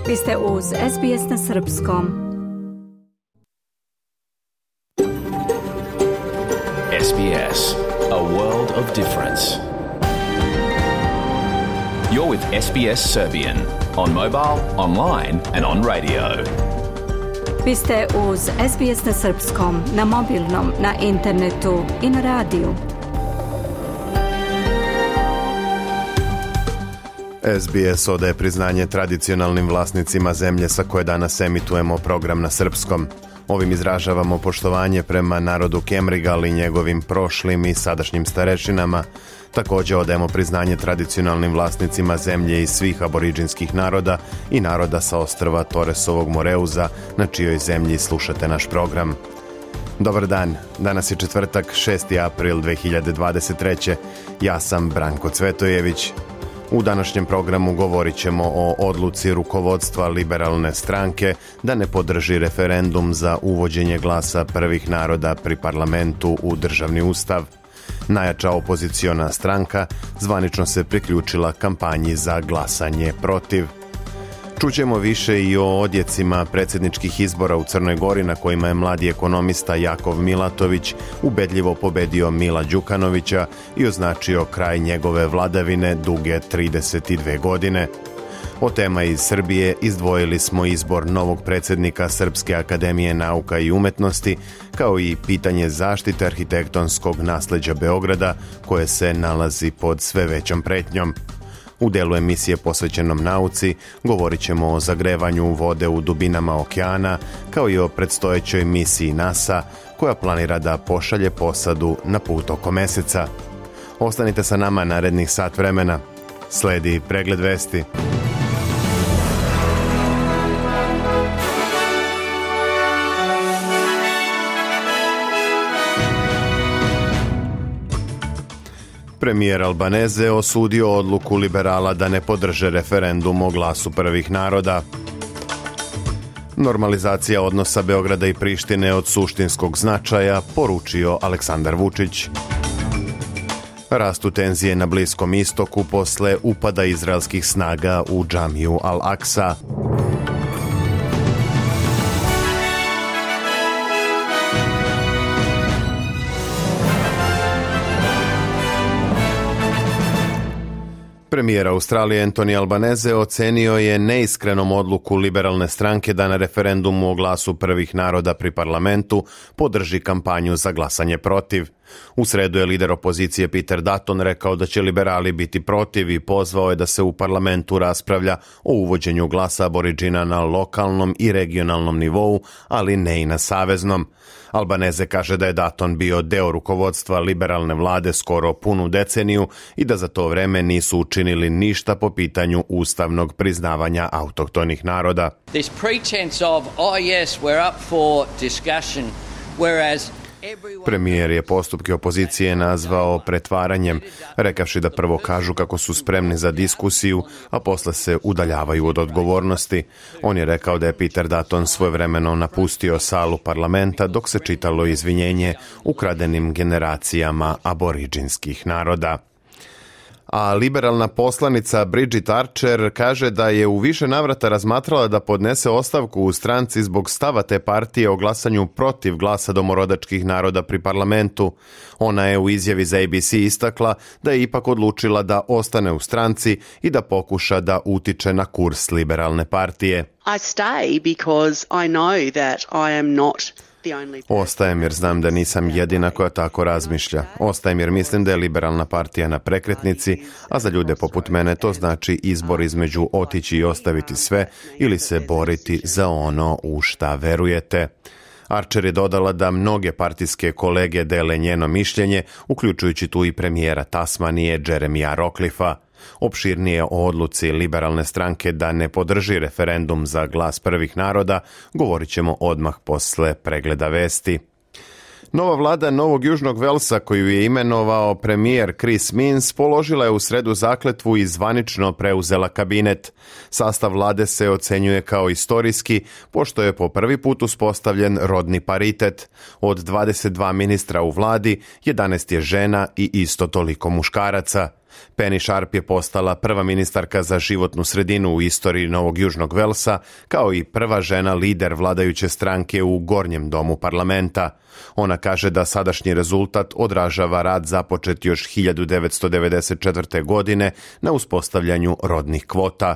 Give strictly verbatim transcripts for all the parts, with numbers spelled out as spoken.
Vi ste uz S B S na srpskom. S B S, a world of difference. You're with S B S Serbian on mobile, online and on radio. Vi ste uz S B S na srpskom, na mobilnom, na internetu i na radiju. S B S odaje priznanje tradicionalnim vlasnicima zemlje sa koje danas emitujemo program na srpskom. Ovim izražavamo poštovanje prema narodu Kemrigal i njegovim prošlim i sadašnjim starešinama. Također odajemo priznanje tradicionalnim vlasnicima zemlje i svih aboriđinskih naroda i naroda sa ostrva Torresovog Moreuza, na čijoj zemlji slušate naš program. Dobar dan, danas je četvrtak, šesti april dve hiljade dvadeset treće. Ja sam Branko Cvetojević. U današnjem programu govorit ćemo o odluci rukovodstva liberalne stranke da ne podrži referendum za uvođenje glasa prvih naroda pri parlamentu u državni ustav. Najjača opoziciona stranka zvanično se priključila kampanji za glasanje protiv. Čućemo više i o odjecima predsjedničkih izbora u Crnoj Gori na kojima je mladi ekonomista Jakov Milatović ubedljivo pobedio Mila Đukanovića i označio kraj njegove vladavine duge trideset dvije godine. O tema iz Srbije izdvojili smo izbor novog predsjednika Srpske akademije nauka i umetnosti, kao i pitanje zaštite arhitektonskog nasleđa Beograda koje se nalazi pod sve većom pretnjom. U delu emisije posvećenom nauci govorit ćemo o zagrevanju vode u dubinama okeana, kao i o predstojećoj misiji NASA koja planira da pošalje posadu na put oko meseca. Ostanite sa nama narednih sat vremena. Sledi pregled vesti. Premijer Albaneze osudio odluku liberala da ne podrže referendum o glasu prvih naroda. Normalizacija odnosa Beograda i Prištine od suštinskog značaja, poručio Aleksandar Vučić. Rastu tenzije na Bliskom istoku posle upada izraelskih snaga u džamiju Al-Aksa. Premijer Australije Anthony Albanese ocenio je neiskrenom odluku liberalne stranke da na referendumu o glasu prvih naroda pri parlamentu podrži kampanju za glasanje protiv. U sredu je lider opozicije Peter Dutton rekao da će liberali biti protiv i pozvao je da se u parlamentu raspravlja o uvođenju glasa aboriđina na lokalnom i regionalnom nivou, ali ne i na saveznom. Albanese kaže da je Dutton bio deo rukovodstva liberalne vlade skoro punu deceniju i da za to vreme nisu učinili ništa po pitanju ustavnog priznavanja autohtonih naroda. This pretense of, oh yes, we're up for discussion, whereas Premijer je postupke opozicije nazvao pretvaranjem, rekavši da prvo kažu kako su spremni za diskusiju, a posle se udaljavaju od odgovornosti. On je rekao da je Peter Dutton svojevremeno napustio salu parlamenta dok se čitalo izvinjenje ukradenim generacijama aboriđinskih naroda. A liberalna poslanica Bridget Archer kaže da je u više navrata razmatrala da podnese ostavku u stranci zbog stava te partije o glasanju protiv glasa domorodačkih naroda pri parlamentu. Ona je u izjavi za A B C istakla da je ipak odlučila da ostane u stranci i da pokuša da utiče na kurs liberalne partije. I stay because I know that I am not Ostajem jer znam da nisam jedina koja tako razmišlja. Ostajem jer mislim da je liberalna partija na prekretnici, a za ljude poput mene to znači izbor između otići i ostaviti sve ili se boriti za ono u šta verujete. Archer je dodala da mnoge partijske kolege dele njeno mišljenje, uključujući tu i premijera Tasmanije Jeremija Rockliffa. Opširnije o odluci liberalne stranke da ne podrži referendum za glas prvih naroda govorit ćemo odmah posle pregleda vesti. Nova vlada Novog Južnog Velsa, koju je imenovao premijer Chris Minns, položila je u sredu zakletvu i zvanično preuzela kabinet. Sastav vlade se ocenjuje kao istorijski, pošto je po prvi put uspostavljen rodni paritet. Od dvadeset dva ministra u vladi, jedanaest je žena i isto toliko muškaraca. Penny Sharp je postala prva ministarka za životnu sredinu u istoriji Novog Južnog Velsa, kao i prva žena lider vladajuće stranke u gornjem domu parlamenta. Ona kaže da sadašnji rezultat odražava rad započet još hiljadu devetsto devedeset četvrte. godine na uspostavljanju rodnih kvota.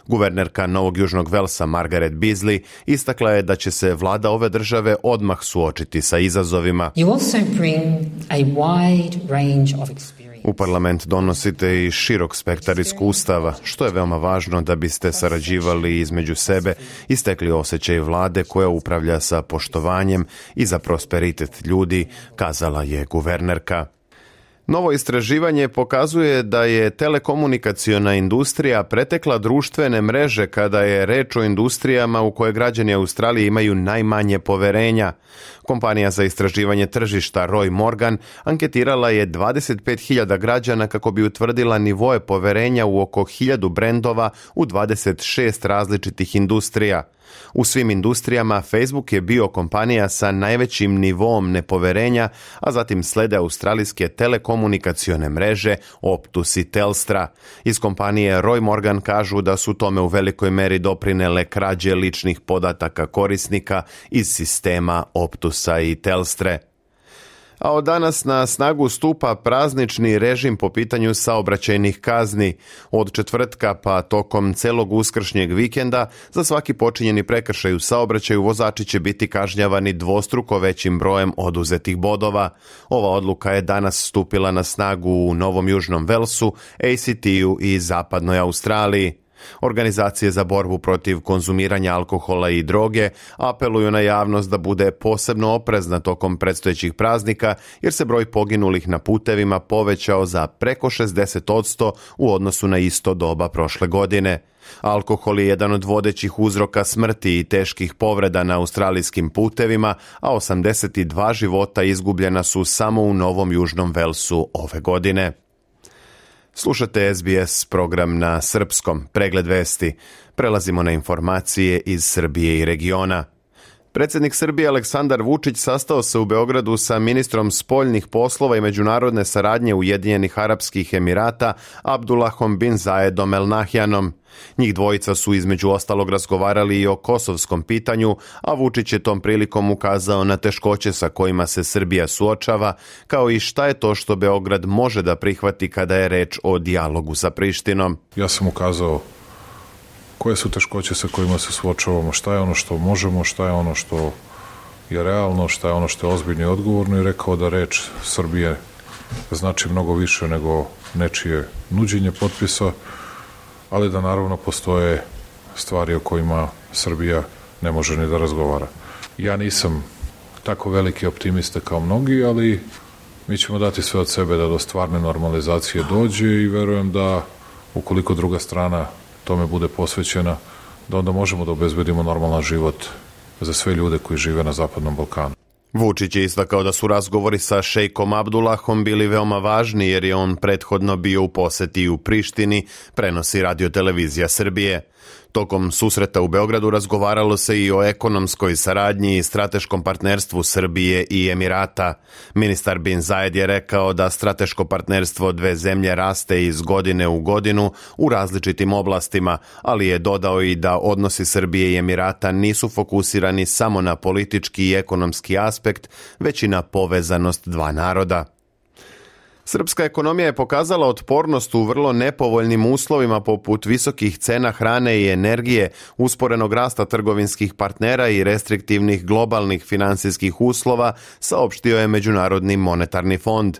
Guvernerka Novog Južnog Velsa Margaret Beasley istakla je da će se vlada ove države odmah suočiti sa izazovima. You also bring a wide range of experience. U parlament donosite i širok spektar iskustava, što je veoma važno da biste sarađivali između sebe i stekli osjećaj vlade koja upravlja sa poštovanjem i za prosperitet ljudi, kazala je guvernerka. Novo istraživanje pokazuje da je telekomunikaciona industrija pretekla društvene mreže kada je reč o industrijama u koje građani Australije imaju najmanje poverenja. Kompanija za istraživanje tržišta Roy Morgan anketirala je dvadeset pet hiljada građana kako bi utvrdila nivoe poverenja u oko hiljadu brendova u dvadeset šest različitih industrija. U svim industrijama Facebook je bio kompanija sa najvećim nivom nepoverenja, a zatim slede australijske telekomunikacione mreže Optus i Telstra. Iz kompanije Roy Morgan kažu da su tome u velikoj meri doprinele krađe ličnih podataka korisnika iz sistema Optusa i Telstre. A od danas na snagu stupa praznični režim po pitanju saobraćajnih kazni. Od četvrtka pa tokom celog uskršnjeg vikenda za svaki počinjeni prekršaj u saobraćaju vozači će biti kažnjavani dvostruko većim brojem oduzetih bodova. Ova odluka je danas stupila na snagu u Novom Južnom Velsu, A C T-u i Zapadnoj Australiji. Organizacije za borbu protiv konzumiranja alkohola i droge apeluju na javnost da bude posebno oprezna tokom predstojećih praznika jer se broj poginulih na putevima povećao za preko šezdeset posto u odnosu na isto doba prošle godine. Alkohol je jedan od vodećih uzroka smrti i teških povreda na australijskim putevima, a osamdeset dva života izgubljena su samo u Novom Južnom Velsu ove godine. Slušate S B S program na srpskom, pregled vesti. Prelazimo na informacije iz Srbije i regiona. Predsjednik Srbije Aleksandar Vučić sastao se u Beogradu sa ministrom spoljnih poslova i međunarodne saradnje Ujedinjenih Arapskih Emirata Abdullahom bin Zayedom El Nahyanom. Njih dvojica su između ostalog razgovarali i o kosovskom pitanju, a Vučić je tom prilikom ukazao na teškoće sa kojima se Srbija suočava, kao i šta je to što Beograd može da prihvati kada je reč o dijalogu sa Prištinom. Ja sam ukazao koje su teškoće sa kojima se suočavamo, šta je ono što možemo, šta je ono što je realno, šta je ono što je ozbiljno i odgovorno i rekao da reč Srbije znači mnogo više nego nečije nuđenje potpisa, ali da naravno postoje stvari o kojima Srbija ne može ni da razgovara. Ja nisam tako veliki optimista kao mnogi, ali mi ćemo dati sve od sebe da do stvarne normalizacije dođe i verujem da ukoliko druga strana tome bude posvećena, da onda možemo da obezbedimo normalan život za sve ljude koji žive na Zapadnom Balkanu. Vučić je istakao da su razgovori sa šejkom Abdullahom bili veoma važni jer je on prethodno bio u poseti u Prištini, prenosi Radio-televizija Srbije. Tokom susreta u Beogradu razgovaralo se i o ekonomskoj saradnji i strateškom partnerstvu Srbije i Emirata. Ministar bin Zayed je rekao da strateško partnerstvo dve zemlje raste iz godine u godinu u različitim oblastima, ali je dodao i da odnosi Srbije i Emirata nisu fokusirani samo na politički i ekonomski aspekt, već i na povezanost dva naroda. Srpska ekonomija je pokazala otpornost u vrlo nepovoljnim uslovima poput visokih cena hrane i energije, usporenog rasta trgovinskih partnera i restriktivnih globalnih finansijskih uslova, saopštio je Međunarodni monetarni fond.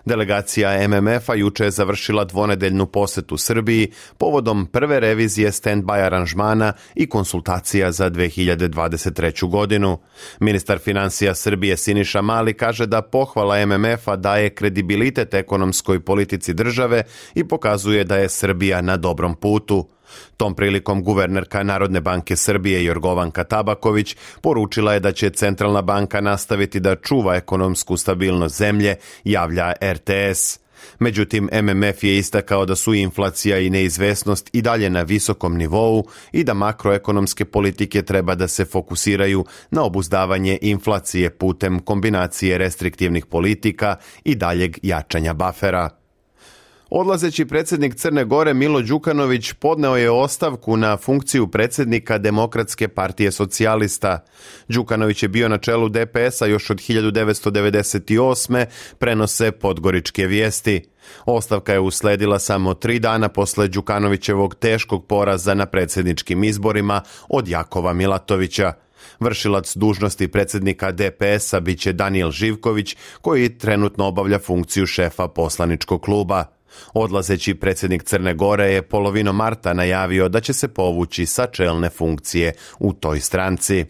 Delegacija M M F-a juče je završila dvonedeljnu posetu Srbiji povodom prve revizije stand-by aranžmana i konsultacija za dve hiljade dvadeset treću. godinu. Ministar financija Srbije Siniša Mali kaže da pohvala M M F-a daje kredibilitet ekonomskoj politici države i pokazuje da je Srbija na dobrom putu. Tom prilikom guvernerka Narodne banke Srbije Jorgovanka Tabaković poručila je da će Centralna banka nastaviti da čuva ekonomsku stabilnost zemlje, javlja R T S. Međutim, M M F je istakao da su inflacija i neizvesnost i dalje na visokom nivou i da makroekonomske politike treba da se fokusiraju na obuzdavanje inflacije putem kombinacije restriktivnih politika i daljeg jačanja bafera. Odlazeći predsjednik Crne Gore Milo Đukanović podneo je ostavku na funkciju predsjednika Demokratske partije socijalista. Đukanović je bio na čelu de pe esa još od hiljadu devetsto devedeset osme. prenose Podgoričke vijesti. Ostavka je usledila samo tri dana posle Đukanovićevog teškog poraza na predsjedničkim izborima od Jakova Milatovića. Vršilac dužnosti predsjednika de pe esa biće Danijel Živković, koji trenutno obavlja funkciju šefa poslaničkog kluba. Odlazeći predsjednik Crne Gore je polovinom marta najavio da će se povući sa čelne funkcije u toj stranci.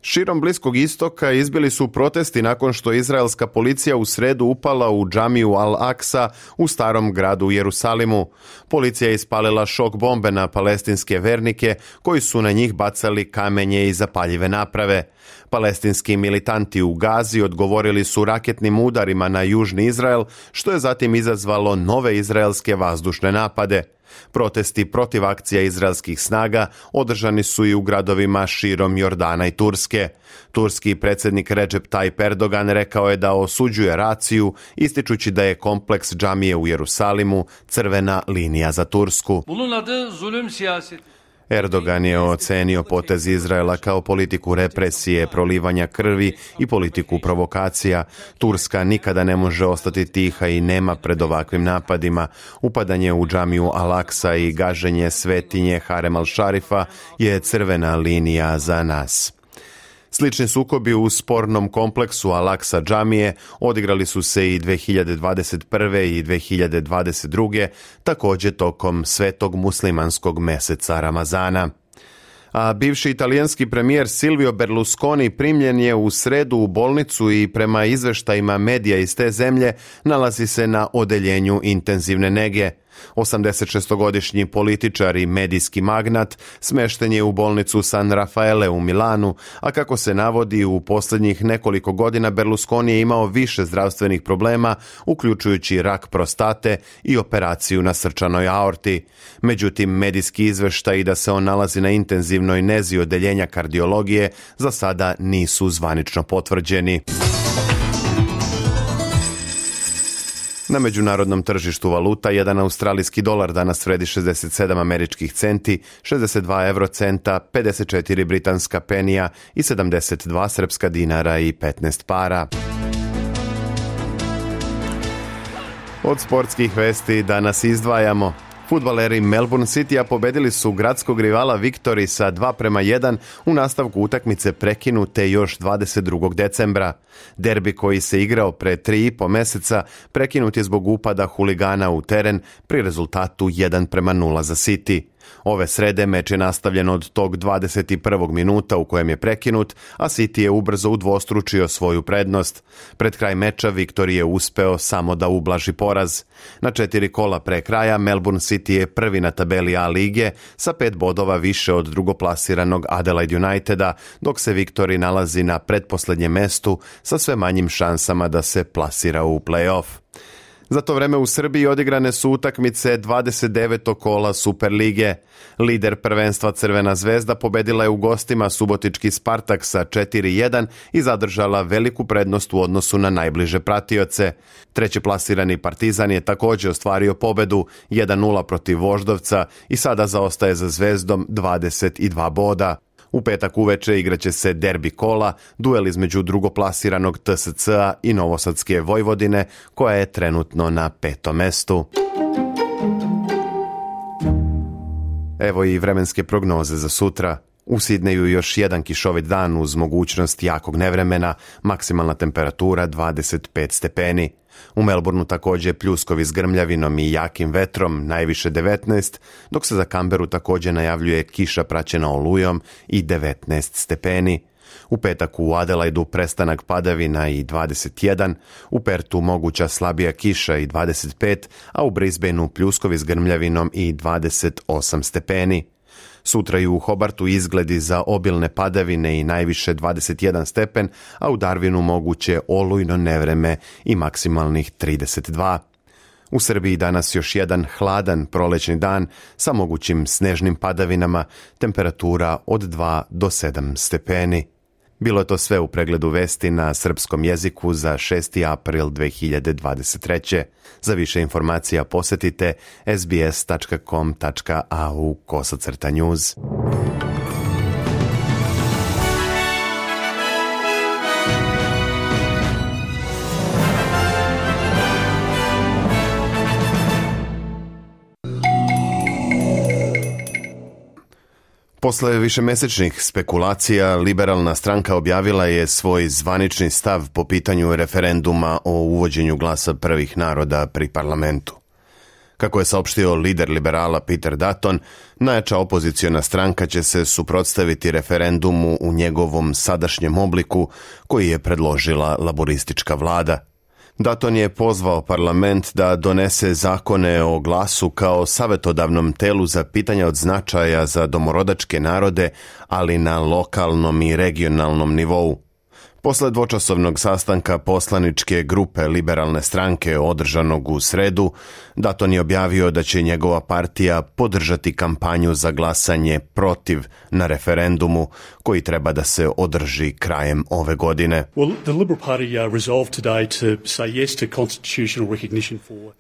Širom Bliskog istoka izbili su protesti nakon što izraelska policija u sredu upala u džamiju Al-Aksa u starom gradu Jerusalimu. Policija je ispalila šok bombe na palestinske vernike koji su na njih bacali kamenje i zapaljive naprave. Palestinski militanti u Gazi odgovorili su raketnim udarima na južni Izrael, što je zatim izazvalo nove izraelske vazdušne napade. Protesti protiv akcija izraelskih snaga održani su i u gradovima širom Jordana i Turske. Turski predsjednik Recep Tayyip Erdogan rekao je da osuđuje raciju, ističući da je kompleks džamije u Jerusalimu crvena linija za Tursku. Bunun adı zulüm siyaseti. Erdogan je ocenio potez Izraela kao politiku represije, prolivanja krvi i politiku provokacija. Turska nikada ne može ostati tiha i nema pred ovakvim napadima. Upadanje u džamiju Al-Aksa i gaženje svetinje Harem al-Šarifa je crvena linija za nas. Slični sukobi u spornom kompleksu Al-Aksa džamije odigrali su se i dve hiljade dvadeset prve i dve hiljade dvadeset druge. također tokom svetog muslimanskog meseca Ramazana. A bivši italijanski premijer Silvio Berlusconi primljen je u sredu u bolnicu i prema izveštajima medija iz te zemlje nalazi se na odeljenju intenzivne nege. osamdesetšestogodišnji političar i medijski magnat smešten je u bolnicu San Raffaele u Milanu, a kako se navodi u posljednjih nekoliko godina Berlusconi je imao više zdravstvenih problema, uključujući rak prostate i operaciju na srčanoj aorti. Međutim, medijski izveštaji da se on nalazi na intenzivnoj nezi odeljenja kardiologije za sada nisu zvanično potvrđeni. Na međunarodnom tržištu valuta jedan australijski dolar danas vredi šezdeset sedam američkih centi, šezdeset dva eurocenta, pedeset četiri britanska penija i sedamdeset dva srpska dinara i petnaest para. Od sportskih vesti danas izdvajamo. Fudbaleri Melbourne Citya pobedili su gradskog rivala Victory sa dva prema jedan u nastavku utakmice prekinute još dvadeset drugog decembra. Derbi koji se igrao pre tri i po meseca prekinut je zbog upada huligana u teren pri rezultatu jedan prema nula za City. Ove srede meč je nastavljen od tog dvadeset prvog minuta u kojem je prekinut, a City je ubrzo udvostručio svoju prednost. Pred kraj meča Victory je uspeo samo da ublaži poraz. Na četiri kola pre kraja Melbourne City je prvi na tabeli A lige sa pet bodova više od drugoplasiranog Adelaide Uniteda, dok se Victory nalazi na pretposlednjem mestu sa sve manjim šansama da se plasira u play-off. Za to vreme u Srbiji odigrane su utakmice dvadeset devetog kola Superlige. Lider prvenstva Crvena zvezda pobedila je u gostima subotički Spartak sa četiri jedan i zadržala veliku prednost u odnosu na najbliže pratioce. Treće plasirani Partizan je također ostvario pobedu jedan nula protiv Voždovca i sada zaostaje za Zvezdom dvadeset dva boda. U petak uveče igraće se derbi kola, duel između drugoplasiranog T S C-a i Novosadske Vojvodine, koja je trenutno na petom mestu. Evo i vremenske prognoze za sutra. U Sidneju još jedan kišovit dan uz mogućnost jakog nevremena, maksimalna temperatura dvadeset pet stepeni. U Melbourneu također pljuskovi s grmljavinom i jakim vetrom, najviše devetnaest, dok se za Canberu također najavljuje kiša praćena olujom i devetnaest stepeni. U petak u Adelaidu prestanak padavina i dvadeset jedan, u Pertu moguća slabija kiša i dvadeset pet, a u Brisbaneu pljuskovi s grmljavinom i dvadeset osam stepeni. Sutra i u Hobartu izgledi za obilne padavine i najviše dvadeset jedan stepen, a u Darwinu moguće olujno nevreme i maksimalnih trideset dva. U Srbiji danas još jedan hladan prolećni dan sa mogućim snežnim padavinama, temperatura od dva do sedam stepeni. Bilo je to sve u pregledu vesti na srpskom jeziku za šesti april dve hiljade dvadeset treće. Za više informacija posjetite sbs tačka com tačka a u kosacrta news. Posle višemesečnih spekulacija, liberalna stranka objavila je svoj zvanični stav po pitanju referenduma o uvođenju glasa prvih naroda pri parlamentu. Kako je saopštio lider liberala Peter Dutton, najjača opoziciona stranka će se suprotstaviti referendumu u njegovom sadašnjem obliku koji je predložila laboristička vlada. Dutton je pozvao parlament da donese zakone o glasu kao savjetodavnom telu za pitanja od značaja za domorodačke narode, ali na lokalnom i regionalnom nivou. Posle dvočasovnog sastanka poslaničke grupe liberalne stranke održanog u sredu, Dutton je objavio da će njegova partija podržati kampanju za glasanje protiv na referendumu koji treba da se održi krajem ove godine.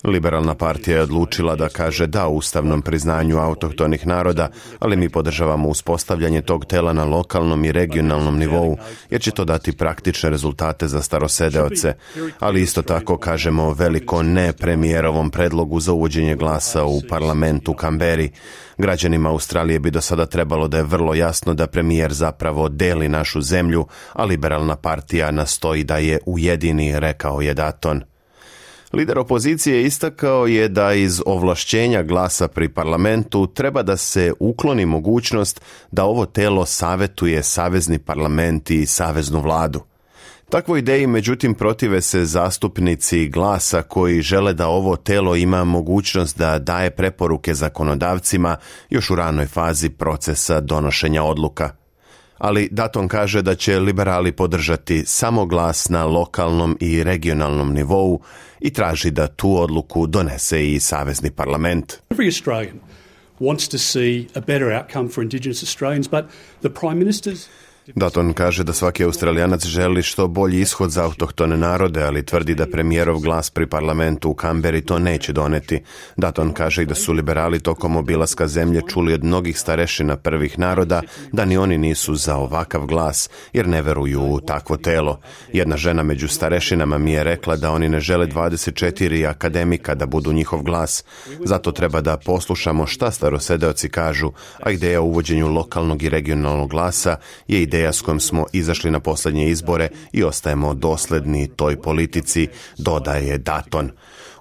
Liberalna partija je odlučila da kaže da ustavnom priznanju autohtonih naroda, ali mi podržavamo uspostavljanje tog tela na lokalnom i regionalnom nivou, jer će to dati praktične rezultate za starosedeoce, ali isto tako kažemo veliko ne premijerovom predlogu za uvođenje glasa u parlamentu u Kamberi. Građanima Australije bi do sada trebalo da je vrlo jasno da premijer zapravo deli našu zemlju, a liberalna partija nastoji da je ujedini, rekao je Dutton. Lider opozicije istakao je da iz ovlašćenja glasa pri parlamentu treba da se ukloni mogućnost da ovo telo savetuje savezni parlament i saveznu vladu. Takvoj ideji, međutim, protive se zastupnici glasa koji žele da ovo telo ima mogućnost da daje preporuke zakonodavcima još u ranoj fazi procesa donošenja odluka. Ali Dutton kaže da će liberali podržati samo glas na lokalnom i regionalnom nivou i traži da tu odluku donese i savezni parlament. Every Australian wants to see a better outcome for Indigenous Australians, but the Prime Minister's Dutton kaže da svaki Australijanac želi što bolji ishod za autohtone narode, ali tvrdi da premijerov glas pri parlamentu u Kamberi to neće doneti. Dutton kaže i da su liberali tokom obilaska zemlje čuli od mnogih starešina prvih naroda da ni oni nisu za ovakav glas, jer ne veruju u takvo telo. Jedna žena među starešinama mi je rekla da oni ne žele dvadeset četiri akademika da budu njihov glas. Zato treba da poslušamo šta starosedeoci kažu, a ideja o uvođenju lokalnog i regionalnog glasa je ideja ideja s kojom smo izašli na posljednje izbore i ostajemo dosledni toj politici, dodaje Dutton.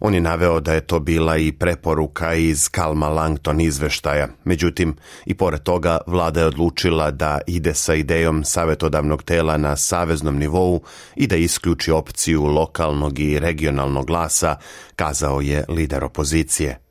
On je naveo da je to bila i preporuka iz Kalma-Langton izveštaja. Međutim, i pored toga, vlada je odlučila da ide sa idejom savjetodavnog tela na saveznom nivou i da isključi opciju lokalnog i regionalnog glasa, kazao je lider opozicije.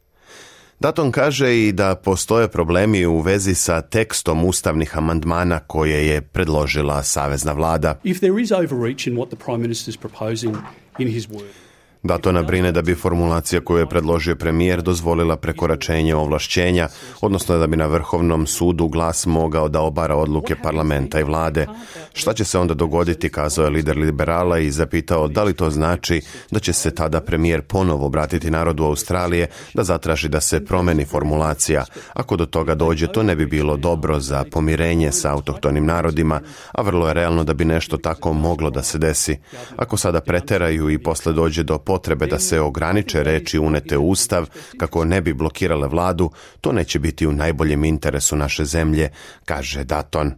Dutton kaže i da postoje problemi u vezi sa tekstom ustavnih amandmana koje je predložila savezna vlada. If there is overreach in what the Prime Minister is proposing in his word. Dutton brine da bi formulacija koju je predložio premijer dozvolila prekoračenje ovlašćenja, odnosno da bi na Vrhovnom sudu glas mogao da obara odluke parlamenta i vlade. Šta će se onda dogoditi, kazao je lider liberala i zapitao da li to znači da će se tada premijer ponovo obratiti narodu Australije da zatraži da se promeni formulacija. Ako do toga dođe, to ne bi bilo dobro za pomirenje sa autohtonim narodima, a vrlo je realno da bi nešto tako moglo da se desi. Ako sada preteraju i posle dođe do potrebe da se ograniče reči unete u Ustav kako ne bi blokirale vladu, to neće biti u najboljem interesu naše zemlje, kaže Dutton.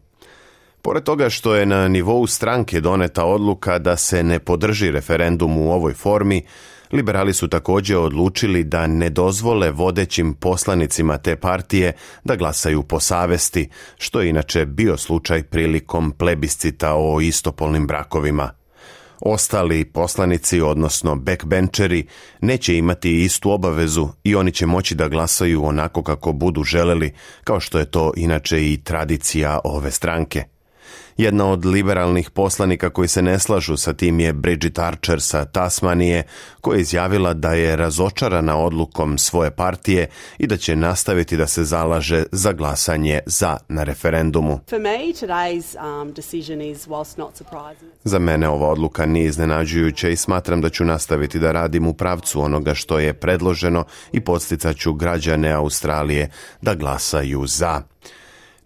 Pored toga što je na nivou stranke doneta odluka da se ne podrži referendum u ovoj formi, liberali su također odlučili da ne dozvole vodećim poslanicima te partije da glasaju po savesti, što je inače bio slučaj prilikom plebiscita o istopolnim brakovima. Ostali poslanici, odnosno backbencheri, neće imati istu obavezu i oni će moći da glasaju onako kako budu želeli, kao što je to inače i tradicija ove stranke. Jedna od liberalnih poslanika koji se ne slažu sa tim je Bridget Archer sa Tasmanije, koja je izjavila da je razočarana odlukom svoje partije i da će nastaviti da se zalaže za glasanje za na referendumu. Za mene ova odluka nije iznenađujuća i smatram da ću nastaviti da radim u pravcu onoga što je predloženo i podsticaću građane Australije da glasaju za.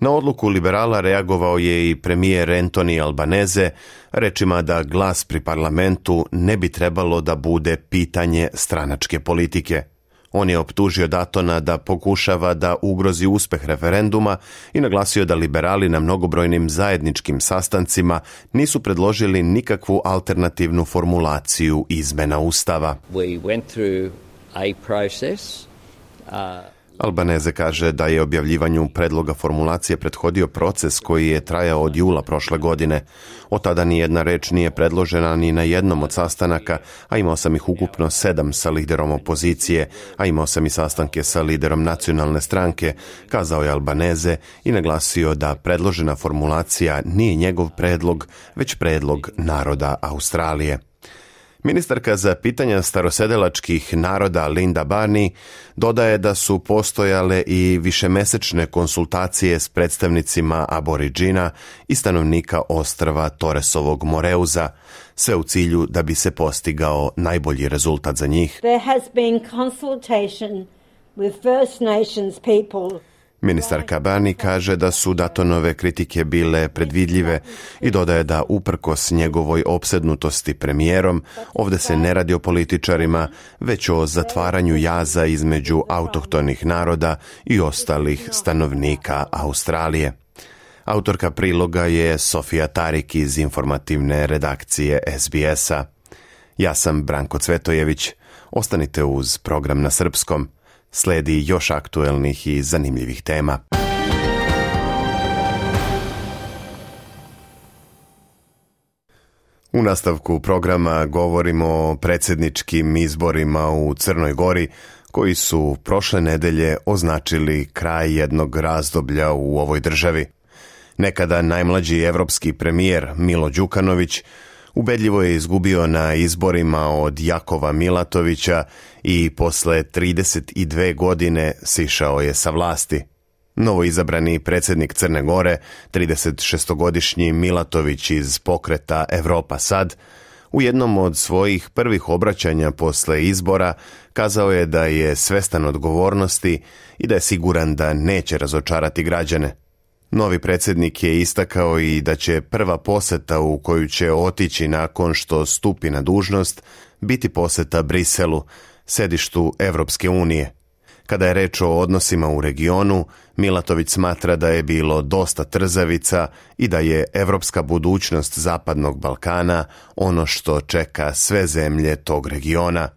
Na odluku liberala reagovao je i premijer Anthony Albanese rečima da glas pri parlamentu ne bi trebalo da bude pitanje stranačke politike. On je optužio Dutona da pokušava da ugrozi uspeh referenduma i naglasio da liberali na mnogobrojnim zajedničkim sastancima nisu predložili nikakvu alternativnu formulaciju izmena Ustava. We went through a process. Uh... Albanese kaže da je objavljivanju predloga formulacije prethodio proces koji je trajao od jula prošle godine. Od tada ni jedna reč nije predložena ni na jednom od sastanaka, a imao sam ih ukupno sedam sa liderom opozicije, a imao sam i sastanke sa liderom nacionalne stranke, kazao je Albanese i naglasio da predložena formulacija nije njegov predlog, već predlog naroda Australije. Ministarka za pitanja starosedelačkih naroda Linda Barney dodaje da su postojale i višemesečne konsultacije s predstavnicima aboriđina i stanovnika ostrva Torresovog Moreuza, sve u cilju da bi se postigao najbolji rezultat za njih. There has been consultation with First Nations people. Ministarka Barney kaže da su Duttonove kritike bile predvidljive i dodaje da uprkos njegovoj opsednutosti premijerom, ovdje se ne radi o političarima, već o zatvaranju jaza između autohtonih naroda i ostalih stanovnika Australije. Autorka priloga je Sofija Tarik iz informativne redakcije S B S-a. Ja sam Branko Cvetojević. Ostanite uz program na srpskom. Sledi još aktuelnih i zanimljivih tema. U nastavku programa govorimo o predsjedničkim izborima u Crnoj Gori, koji su prošle nedelje označili kraj jednog razdoblja u ovoj državi. Nekada najmlađi evropski premijer Milo Đukanović ubedljivo je izgubio na izborima od Jakova Milatovića i posle trideset dve godine sišao je sa vlasti. Novoizabrani predsjednik Crne Gore, tridesetšestogodišnji Milatović iz pokreta Evropa sad, u jednom od svojih prvih obraćanja posle izbora kazao je da je svestan odgovornosti i da je siguran da neće razočarati građane. Novi predsjednik je istakao i da će prva poseta u koju će otići nakon što stupi na dužnost biti poseta Briselu, sedištu Evropske unije. Kada je reč o odnosima u regionu, Milatović smatra da je bilo dosta trzavica i da je evropska budućnost Zapadnog Balkana ono što čeka sve zemlje tog regiona.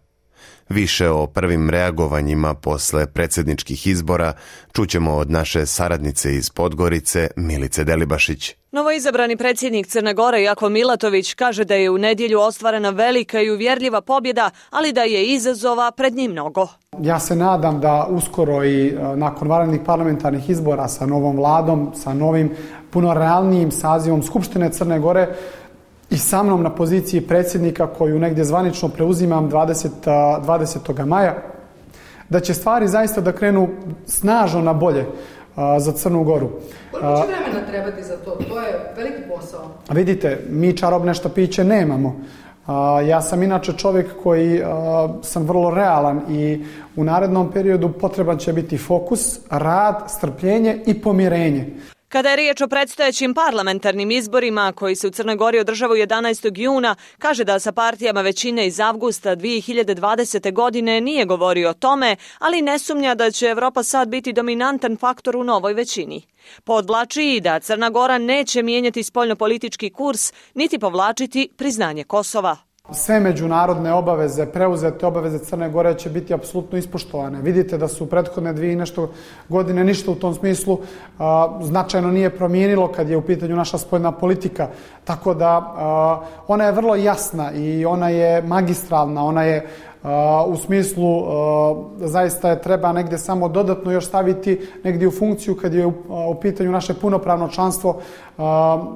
Više o prvim reagovanjima posle predsjedničkih izbora čućemo od naše saradnice iz Podgorice, Milice Delibašić. Novoizabrani predsjednik Crne Gore Jakov Milatović kaže da je u nedjelju ostvarena velika i uvjerljiva pobjeda, ali da je izazova pred njim mnogo. Ja se nadam da uskoro i nakon vanrednih parlamentarnih izbora sa novom vladom, sa novim puno realnijim sazivom Skupštine Crne Gore i sa mnom na poziciji predsjednika koju negdje zvanično preuzimam dvadesetog maja, da će stvari zaista da krenu snažno na bolje a, za Crnu Goru. Koliko će vremena trebati za to? To je veliki posao. Vidite, mi čarobne štapiće nemamo. A, ja sam inače čovjek koji a, sam vrlo realan i u narednom periodu potreban će biti fokus, rad, strpljenje i pomirenje. Kada je riječ o predstojećim parlamentarnim izborima koji se u Crnoj Gori održavaju jedanaestog juna, kaže da sa partijama većine iz avgusta dvije hiljade dvadesete. godine nije govorio o tome, ali ne sumnja da će Evropa sad biti dominantan faktor u novoj većini. Podvlači i da Crna Gora neće mijenjati spoljnopolitički kurs niti povlačiti priznanje Kosova. Sve međunarodne obaveze, preuzete obaveze Crne Gore će biti apsolutno ispoštovane. Vidite da su prethodne dvije i nešto godine ništa u tom smislu a, značajno nije promijenilo kad je u pitanju naša spoljna politika. Tako da a, ona je vrlo jasna i ona je magistralna, ona je a, u smislu a, zaista je treba negdje samo dodatno još staviti negdje u funkciju kad je u, a, u pitanju naše punopravno članstvo a,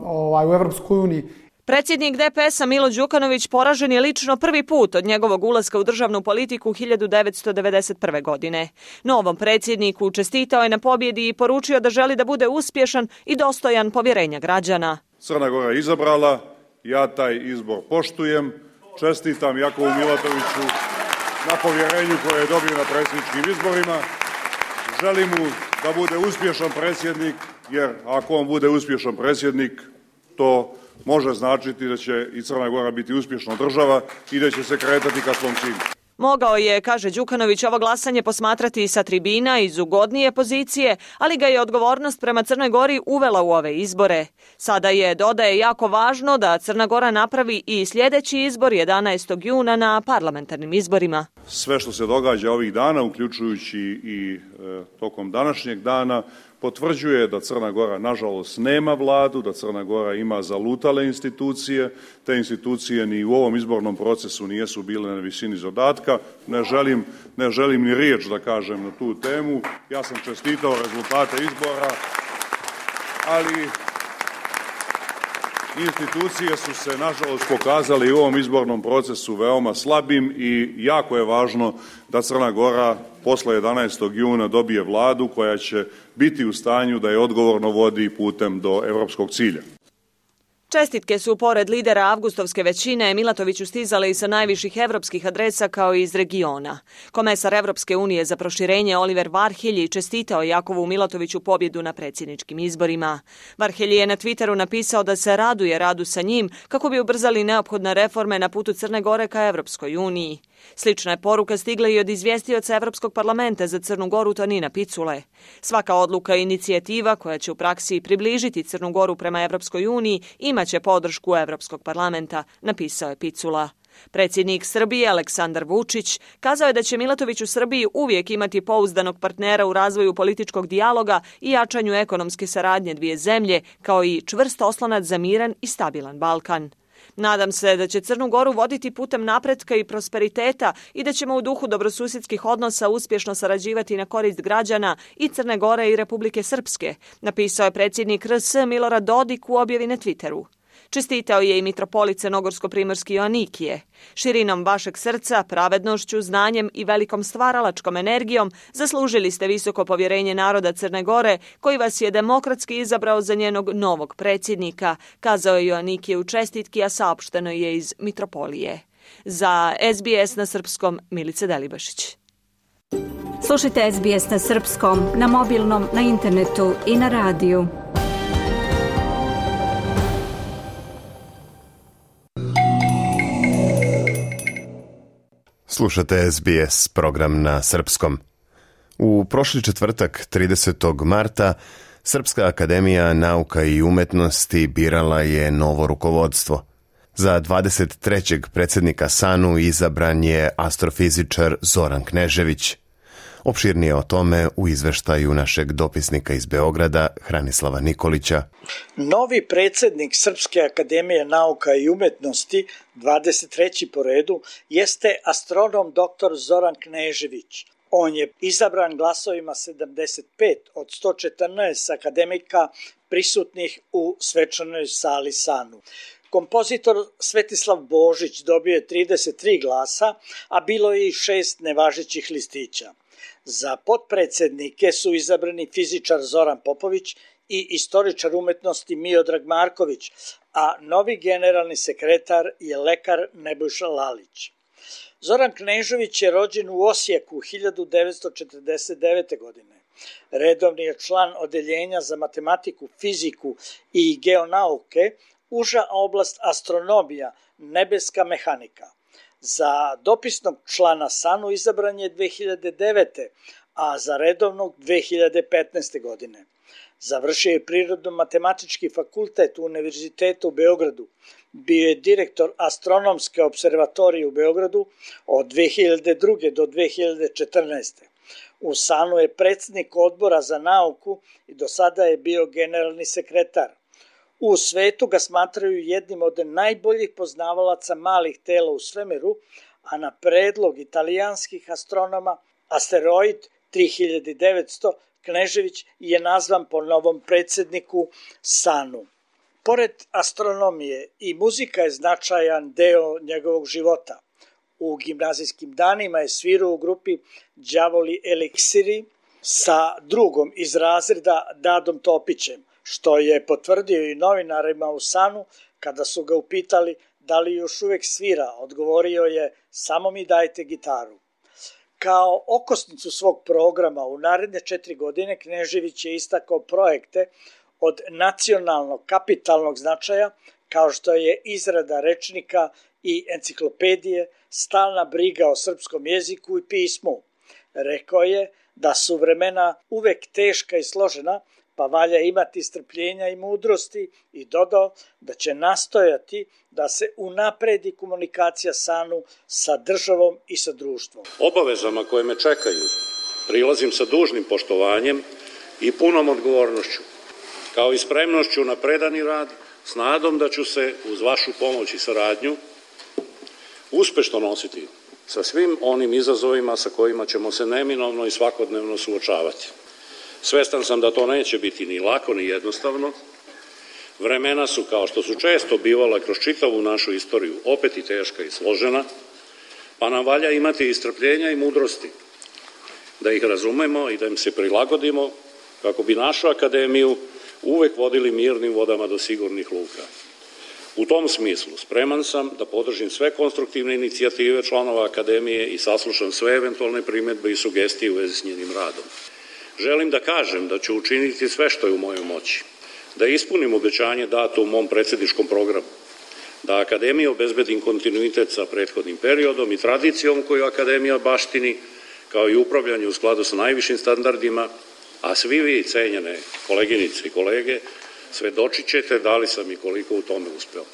ovaj, u Evropskoj uniji. Predsjednik D P S-a Milo Đukanović poražen je lično prvi put od njegovog ulaska u državnu politiku hiljadu devetsto devedeset prve. godine. Novom predsjedniku čestitao je na pobjedi i poručio da želi da bude uspješan i dostojan povjerenja građana. Crna Gora je izabrala, ja taj izbor poštujem, čestitam Jakovu Milatoviću na povjerenju koje je dobio na predsjedničkim izborima. Želim mu da bude uspješan predsjednik, jer ako on bude uspješan predsjednik, to može značiti da će i Crna Gora biti uspješna država i da će se kretati ka svom cilju. Mogao je, kaže Đukanović, ovo glasanje posmatrati i sa tribina iz ugodnije pozicije, ali ga je odgovornost prema Crnoj Gori uvela u ove izbore. Sada je, dodaje, jako važno da Crna Gora napravi i sljedeći izbor jedanaestog juna na parlamentarnim izborima. Sve što se događa ovih dana, uključujući i e, tokom današnjeg dana, potvrđuje da Crna Gora nažalost nema vladu, da Crna Gora ima zalutale institucije, te institucije ni u ovom izbornom procesu nijesu bile na visini zadatka. Ne želim, ne želim ni riječ da kažem na tu temu. Ja sam čestitao rezultate izbora, ali institucije su se nažalost pokazali u ovom izbornom procesu veoma slabim i jako je važno da Crna Gora posle jedanaestog juna dobije vladu koja će biti u stanju da je odgovorno vodi putem do evropskog cilja. Čestitke su pored lidera avgustovske većine Milatoviću stizale i sa najviših evropskih adresa kao i iz regiona. Komesar Evropske unije za proširenje Oliver Varhelji čestitao Jakovu Milatoviću pobjedu na predsjedničkim izborima. Varhelji je na Twitteru napisao da se raduje radu sa njim kako bi ubrzali neophodne reforme na putu Crne Gore ka Evropskoj uniji. Slična je poruka stigla i od izvjestioca Evropskog parlamenta za Crnu Goru Tonina Picule. Svaka odluka i inicijativa koja će u praksi približiti Crnu Goru prema Evropskoj uniji imaće podršku Evropskog parlamenta, napisao je Picula. Predsjednik Srbije Aleksandar Vučić kazao je da će Milatović u Srbiji uvijek imati pouzdanog partnera u razvoju političkog dijaloga i jačanju ekonomske saradnje dvije zemlje, kao i čvrst oslonac za miran i stabilan Balkan. Nadam se da će Crnu Goru voditi putem napretka i prosperiteta i da ćemo u duhu dobrosusjedskih odnosa uspješno sarađivati na korist građana i Crne Gore i Republike Srpske, napisao je predsjednik R S Milorad Dodik u objavi na Twitteru. Čestitao je i mitropolit Crnogorsko-primorski Joanikije. Širinom vašeg srca, pravednošću, znanjem i velikom stvaralačkom energijom zaslužili ste visoko povjerenje naroda Crne Gore, koji vas je demokratski izabrao za njenog novog predsjednika, kazao je Joanikije u čestitki, a saopšteno je iz mitropolije. Za S B S na srpskom, Milica Delibašić. Slušajte S B S na srpskom, na mobilnom, na internetu i na radiju. Slušate S B S program na srpskom. U prošli četvrtak, tridesetog marta, Srpska akademija nauka i umetnosti birala je novo rukovodstvo. Za dvadeset trećeg predsjednika S A N U izabran je astrofizičar Zoran Knežević. Opširnije o tome u izveštaju našeg dopisnika iz Beograda, Hranislava Nikolića. Novi predsjednik Srpske akademije nauka i umetnosti, dvadeset treći po redu, jeste astronom doktor Zoran Knežević. On je izabran glasovima sedamdeset pet od sto četrnaest akademika prisutnih u svečanoj sali S A N U. Kompozitor Svetislav Božić dobio je trideset tri glasa, a bilo je i šest nevažećih listića. Za potpredsjednike su izabrani fizičar Zoran Popović i istoričar umetnosti Miodrag Marković, a novi generalni sekretar je lekar Nebojša Lalić. Zoran Knežević je rođen u Osijeku hiljadu devetsto četrdeset devete. godine. Redovni je član odeljenja za matematiku, fiziku i geonauke, uža oblast astronomija, nebeska mehanika. Za dopisnog člana S A N U izabran je dve hiljade devete. a za redovnog dve hiljade petnaeste. godine. Završio je Prirodno-matematički fakultet u Univerzitetu u Beogradu. Bio je direktor Astronomske observatorije u Beogradu od dve hiljade druge. do dve hiljade četrnaeste. U SANU je predsjednik odbora za nauku i do sada je bio generalni sekretar. U svetu ga smatraju jednim od najboljih poznavalaca malih tela u svemiru, a na predlog italijanskih astronoma asteroid tri hiljade devetsto Knežević je nazvan po novom predsjedniku SANU. Pored astronomije i muzika je značajan deo njegovog života. U gimnazijskim danima je svirao u grupi Đavoli Eliksiri sa drugom iz razreda Dadom Topićem, što je potvrdio i novinarima u SANU kada su ga upitali da li još uvek svira. Odgovorio je: samo mi dajte gitaru. Kao okosnicu svog programa u naredne četiri godine Knežević je istakao projekte od nacionalnog kapitalnog značaja, kao što je izrada rečnika i enciklopedije, stalna briga o srpskom jeziku i pismu. Rekao je da su vremena uvek teška i složena, pa valja imati strpljenja i mudrosti, i dodao da će nastojati da se unapredi komunikacija SANU sa državom i sa društvom. Obavezama koje me čekaju prilazim sa dužnim poštovanjem i punom odgovornošću, kao i spremnošću na predani rad, s nadom da ću se uz vašu pomoć i saradnju uspešno nositi sa svim onim izazovima sa kojima ćemo se neminovno i svakodnevno suočavati. Svestan sam da to neće biti ni lako ni jednostavno. Vremena su, kao što su često bivala kroz čitavu našu istoriju, opet i teška i složena, pa nam valja imati i strpljenja i mudrosti, da ih razumemo i da im se prilagodimo, kako bi našu akademiju uvek vodili mirnim vodama do sigurnih luka. U tom smislu spreman sam da podržim sve konstruktivne inicijative članova akademije i saslušam sve eventualne primedbe i sugestije u vezi s njenim radom. Želim da kažem da ću učiniti sve što je u mojoj moći, da ispunim obećanje dato u mom predsjedničkom programu, da akademija obezbedim kontinuitet sa prethodnim periodom i tradicijom koju akademija baštini, kao i upravljanje u skladu sa najvišim standardima, a svi vi, cenjene koleginice i kolege, svedočit ćete da li sam i koliko u tome uspeo.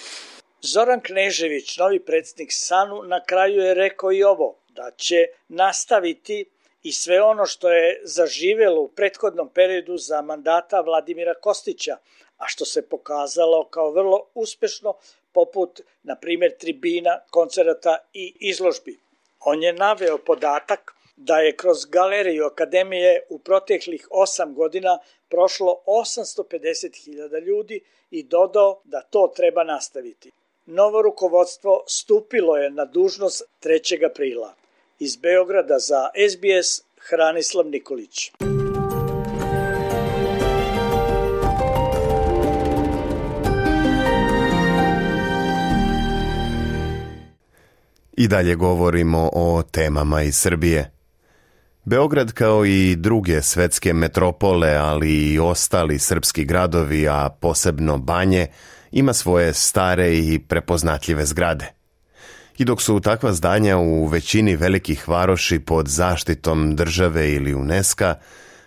Zoran Knežević, novi predsjednik SANU, na kraju je rekao i ovo, da će nastaviti i sve ono što je zaživelo u prethodnom periodu za mandata Vladimira Kostića, a što se pokazalo kao vrlo uspešno, poput, na primjer, tribina, koncerata i izložbi. On je naveo podatak da je kroz galeriju akademije u proteklih osam godina prošlo osamsto pedeset hiljada ljudi i dodao da to treba nastaviti. Novo rukovodstvo stupilo je na dužnost trećeg aprila. Iz Beograda za S B S, Hranislav Nikolić. I dalje govorimo o temama iz Srbije. Beograd, kao i druge svetske metropole, ali i ostali srpski gradovi, a posebno Banje, ima svoje stare i prepoznatljive zgrade. I dok su takva zdanja u većini velikih varoši pod zaštitom države ili UNESCO,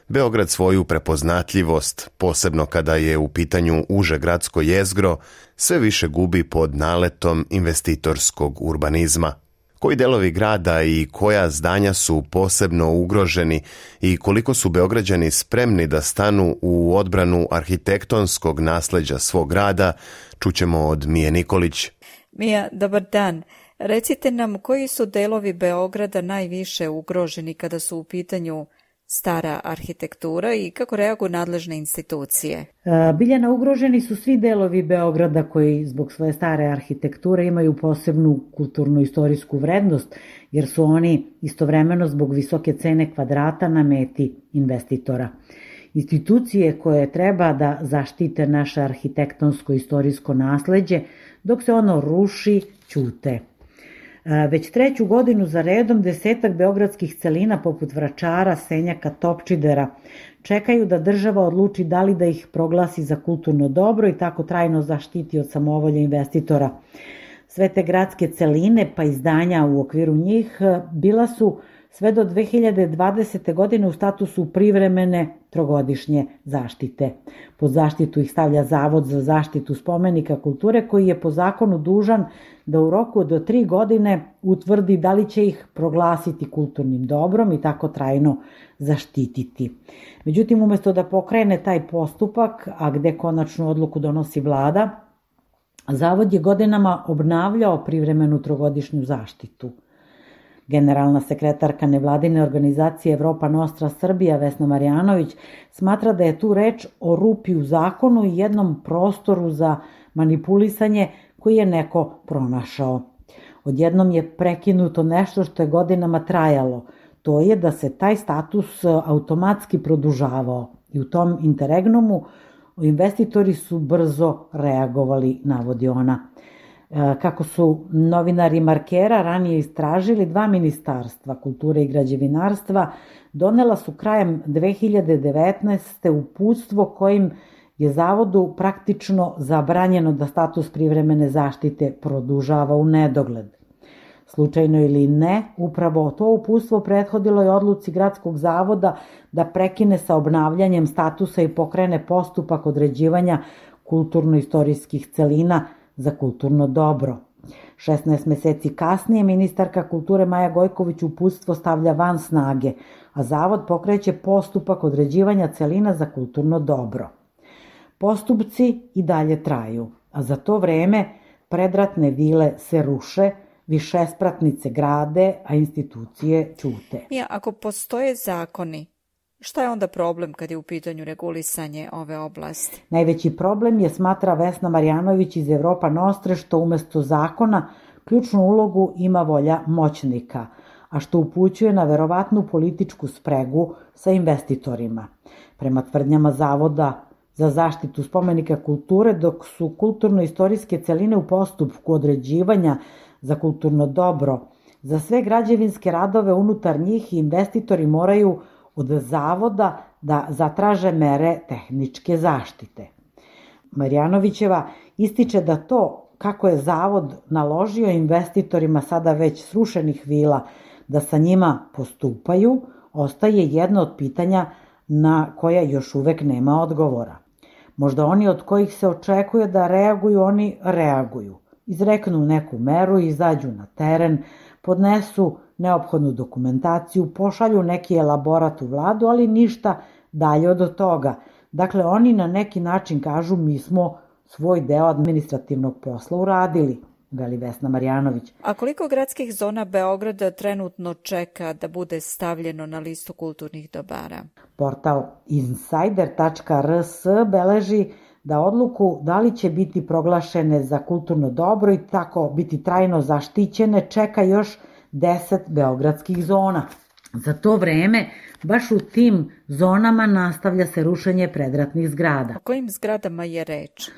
Beograd svoju prepoznatljivost, posebno kada je u pitanju uže gradsko jezgro, sve više gubi pod naletom investitorskog urbanizma. Koji delovi grada i koja zdanja su posebno ugroženi i koliko su Beograđani spremni da stanu u odbranu arhitektonskog nasleđa svog grada, čućemo od Mije Nikolić. Mija, dobar dan. Recite nam koji su delovi Beograda najviše ugroženi kada su u pitanju stara arhitektura i kako reaguju nadležne institucije? Biljana, ugroženi su svi delovi Beograda koji zbog svoje stare arhitekture imaju posebnu kulturno-istorijsku vrednost, jer su oni istovremeno zbog visoke cene kvadrata na meti investitora. Institucije koje treba da zaštite naše arhitektonsko-istorijsko nasleđe, dok se ono ruši, ćute. Već treću godinu za redom desetak beogradskih celina poput Vračara, Senjaka, Topčidera čekaju da država odluči da li da ih proglasi za kulturno dobro i tako trajno zaštiti od samovolje investitora. Sve te gradske celine pa i zdanja u okviru njih bila su sve do dve hiljade dvadesete. godine u statusu privremene trogodišnje zaštite. Pod zaštitu ih stavlja Zavod za zaštitu spomenika kulture koji je po zakonu dužan da u roku do tri godine utvrdi da li će ih proglasiti kulturnim dobrom i tako trajno zaštititi. Međutim, umesto da pokrene taj postupak, a gde konačnu odluku donosi vlada, Zavod je godinama obnavljao privremenu trogodišnju zaštitu. Generalna sekretarka nevladine organizacije Evropa Nostra Srbija Vesna Marjanović smatra da je tu reč o rupi u zakonu i jednom prostoru za manipulisanje koji je neko pronašao. Odjednom je prekinuto nešto što je godinama trajalo. To je da se taj status automatski produžavao i u tom interregnumu investitori su brzo reagovali, navodi ona. Kako su novinari Markera ranije istražili, dva ministarstva kulture i građevinarstva donela su krajem dve hiljade devetnaeste. uputstvo kojim je Zavodu praktično zabranjeno da status privremene zaštite produžava u nedogled. Slučajno ili ne, upravo to uputstvo prethodilo je odluci Gradskog zavoda da prekine sa obnavljanjem statusa i pokrene postupak određivanja kulturno-istorijskih celina za kulturno dobro. šesnaest meseci kasnije ministarka kulture Maja Gojković uputstvo stavlja van snage, a Zavod pokreće postupak određivanja celina za kulturno dobro. Postupci i dalje traju, a za to vreme predratne vile se ruše, višespratnice grade, a institucije ćute. Ja, ako postoje zakoni, šta je onda problem kad je u pitanju regulisanje ove oblasti? Najveći problem je, smatra Vesna Marjanović iz Evropa Nostre, što umesto zakona ključnu ulogu ima volja moćnika, a što upućuje na verovatnu političku spregu sa investitorima. Prema tvrdnjama Zavoda za zaštitu spomenika kulture, dok su kulturno-istorijske celine u postupku određivanja za kulturno dobro, za sve građevinske radove unutar njih investitori moraju od Zavoda da zatraže mere tehničke zaštite. Marjanovićeva ističe da to kako je Zavod naložio investitorima sada već srušenih vila da sa njima postupaju, ostaje jedno od pitanja na koja još uvek nema odgovora. Možda oni od kojih se očekuje da reaguju, oni reaguju. Izreknu neku meru, izađu na teren, podnesu neophodnu dokumentaciju, pošalju neki elaborat u vladu, ali ništa dalje od toga. Dakle, oni na neki način kažu mi smo svoj deo administrativnog posla uradili, veli Vesna Marjanović. A koliko gradskih zona Beograda trenutno čeka da bude stavljeno na listu kulturnih dobara? Portal insider tačka r s beleži da odluku da li će biti proglašene za kulturno dobro i tako biti trajno zaštićene čeka još deset beogradskih zona. Za to vreme, baš u tim zonama nastavlja se rušenje predratnih zgrada. O kojim zgradama je reč?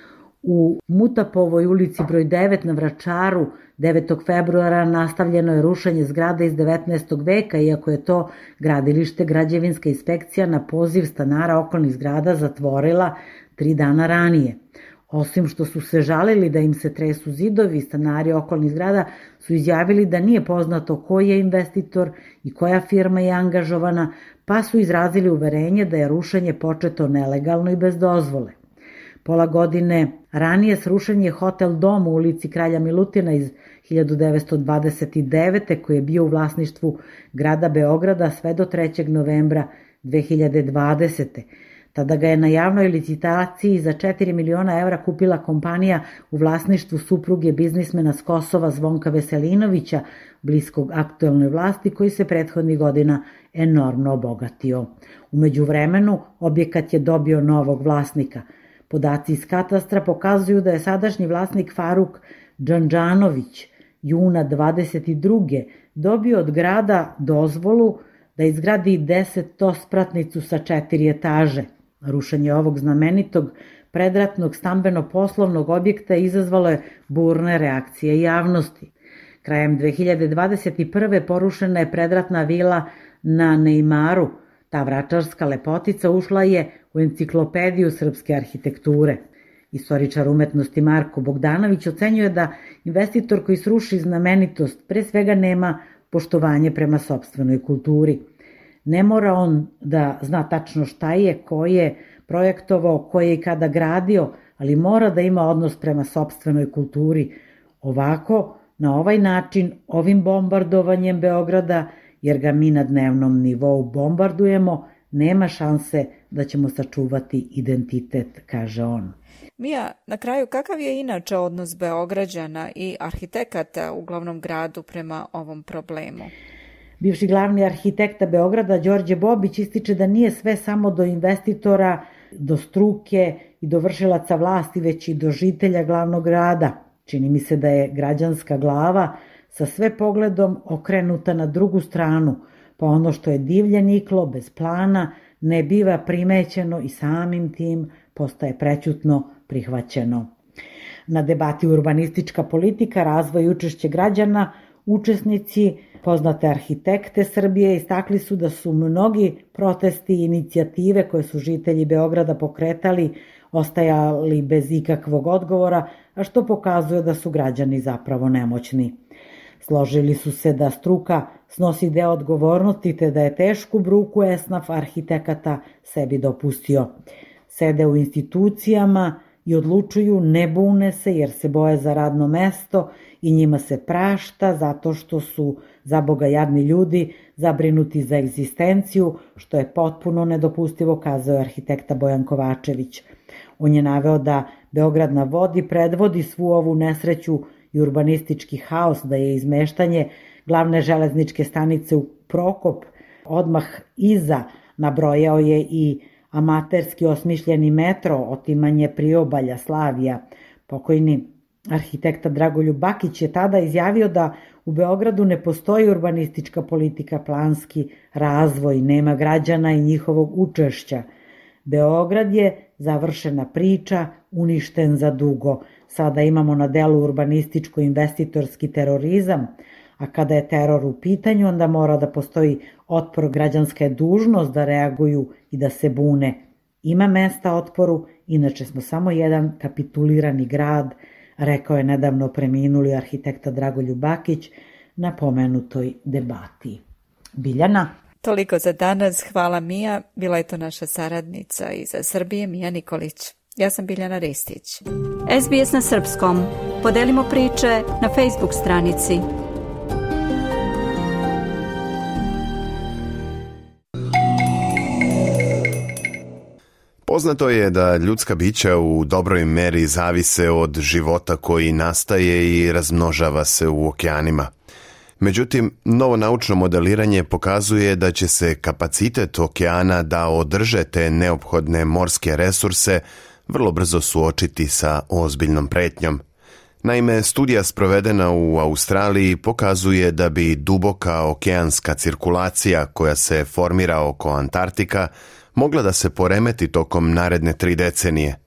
U Mutapovoj ulici broj devet na Vračaru devetog februara nastavljeno je rušenje zgrada iz devetnaestog veka, iako je to gradilište građevinska inspekcija na poziv stanara okolnih zgrada zatvorila tri dana ranije. Osim što su se žalili da im se tresu zidovi, stanari okolnih zgrada su izjavili da nije poznato koji je investitor i koja firma je angažovana, pa su izrazili uverenje da je rušenje početo nelegalno i bez dozvole. Pola godine ranije srušen je hotel Dom u ulici Kralja Milutina iz hiljadu devetsto dvadeset devete. koji je bio u vlasništvu grada Beograda sve do trećeg novembra dve hiljade dvadesete. Tada ga je na javnoj licitaciji za četiri miliona evra kupila kompanija u vlasništvu supruge biznismena s Kosova Zvonka Veselinovića, bliskog aktuelnoj vlasti, koji se prethodnih godina enormno obogatio. U međuvremenu objekat je dobio novog vlasnika. Podaci iz katastra pokazuju da je sadašnji vlasnik Faruk Džandžanović juna dvadeset druge dobio od grada dozvolu da izgradi desetospratnicu sa četiri etaže. Rušenje ovog znamenitog predratnog stambeno-poslovnog objekta izazvalo je burne reakcije javnosti. Krajem dve hiljade dvadeset prve. porušena je predratna vila na Neimaru. Ta vračarska lepotica ušla je u enciklopediju srpske arhitekture. Istoričar umetnosti Marko Bogdanović ocenjuje da investitor koji sruši znamenitost pre svega nema poštovanje prema sopstvenoj kulturi. Ne mora on da zna tačno šta je, ko je projektovao, ko je i kada gradio, ali mora da ima odnos prema sopstvenoj kulturi. Ovako, na ovaj način, ovim bombardovanjem Beograda, jer ga mi na dnevnom nivou bombardujemo, nema šanse da ćemo sačuvati identitet, kaže on. Mija, na kraju, kakav je inače odnos Beograđana i arhitekata u glavnom gradu prema ovom problemu? Bivši glavni arhitekta Beograda, Đorđe Bobić, ističe da nije sve samo do investitora, do struke i do vršilaca vlasti, već i do žitelja glavnog grada. Čini mi se da je građanska glava sa sve pogledom okrenuta na drugu stranu, pa ono što je divlje niklo, bez plana, ne biva primećeno i samim tim postaje prećutno prihvaćeno. Na debati urbanistička politika, razvoj i učešće građana, učesnici, poznate arhitekte Srbije, istakli su da su mnogi protesti i inicijative koje su žitelji Beograda pokretali ostajali bez ikakvog odgovora, a što pokazuje da su građani zapravo nemoćni. Složili su se da struka snosi deo odgovornosti te da je tešku bruku esnaf arhitekata sebi dopustio. Sede u institucijama i odlučuju, ne bune se jer se boje za radno mesto i njima se prašta zato što su za Boga jadni ljudi zabrinuti za egzistenciju, što je potpuno nedopustivo, kazao je arhitekta Bojan Kovačević. On je naveo da Beograd na vodi predvodi svu ovu nesreću i urbanistički haos, da je izmeštanje glavne železničke stanice u Prokop odmah iza, nabrojao je i amaterski osmišljeni metro, otimanje priobalja, Slavija. Pokojni arhitekta Dragoljub Bakić je tada izjavio da u Beogradu ne postoji urbanistička politika, planski razvoj, nema građana i njihovog učešća. Beograd je završena priča, uništen za dugo. Sada imamo na delu urbanističko-investitorski terorizam, a kada je teror u pitanju, onda mora da postoji otpor, građanska je dužnost da reaguju i da se bune. Ima mesta otporu, inače smo samo jedan kapitulirani grad, rekao je nedavno preminuli arhitekta Dragoljub Bakić na pomenutoj debati. Biljana? Toliko za danas, hvala Mija, bila je to naša saradnica iz Srbije, Mija Nikolić. Ja sam Biljana Ristić. S B S na srpskom. Podelimo priče na Facebook stranici. Poznato je da ljudska bića u dobroj meri zavise od života koji nastaje i razmnožava se u okeanima. Međutim, novo naučno modeliranje pokazuje da će se kapacitet okeana da održe te neophodne morske resurse vrlo brzo suočiti sa ozbiljnom pretnjom. Naime, studija sprovedena u Australiji pokazuje da bi duboka okeanska cirkulacija koja se formira oko Antarktika mogla da se poremeti tokom naredne tri decenije.